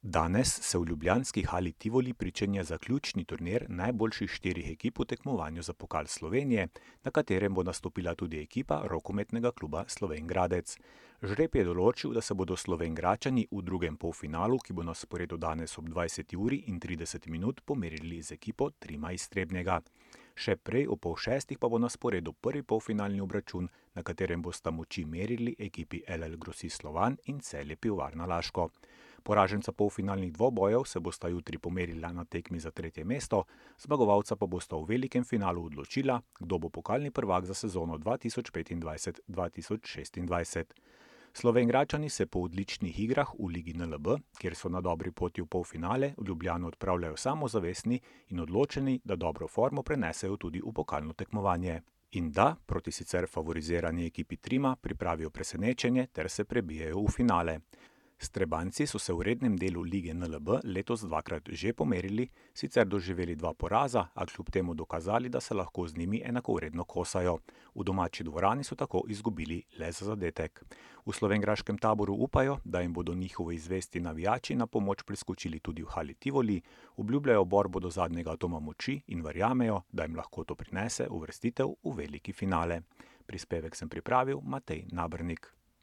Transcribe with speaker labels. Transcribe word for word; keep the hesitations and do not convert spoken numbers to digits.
Speaker 1: Danes se v ljubljanski hali Tivoli pričenja zaključni turnir najboljših štirih ekip v tekmovanju za pokal Slovenije, na katerem bo nastopila tudi ekipa rokometnega kluba Slovenj Gradec. Žreb je določil, da se bodo Slovenjgračani v drugem polfinalu, ki bo na sporedu danes ob dvajseti uri in trideset minut, pomerili z ekipo Trima iz Trebnjega. Še prej ob pol šestih pa bo na sporedu prvi polfinalni obračun, na katerem bosta moči merili ekipi L L Grosist Slovan in Celje Pivovarna Laško. Poraženca polfinalnih dvobojev se bosta jutri pomerila na tekmi za tretje mesto, zmagovalca pa bosta v velikem finalu odločila, kdo bo pokalni prvak za sezono dva tisoč petindvajset dva tisoč šestindvajset. Slovenjgračani se po odličnih igrah v Ligi N L B, kjer so na dobri poti v polfinale, v Ljubljano odpravljajo samozavestni in odločeni, da dobro formo prenesejo tudi v pokalno tekmovanje. In da proti sicer favorizirani ekipi Trima pripravijo presenečenje ter se prebijejo v finale. Strebanjci so se v rednem delu Lige N L B letos dvakrat že pomerili, sicer doživeli dva poraza, a kljub temu dokazali, da se lahko z njimi enakovredno kosajo. V domači dvorani so tako izgubili le za zadetek. V slovenjgraškem taboru upajo, da jim bodo njihovi zvesti navijači na pomoč priskočili tudi v hali Tivoli, obljubljajo borbo do zadnjega atoma moči in verjamejo, da jim lahko to prinese uvrstitev v veliki finale. Prispevek sem pripravil Matej Nabernik.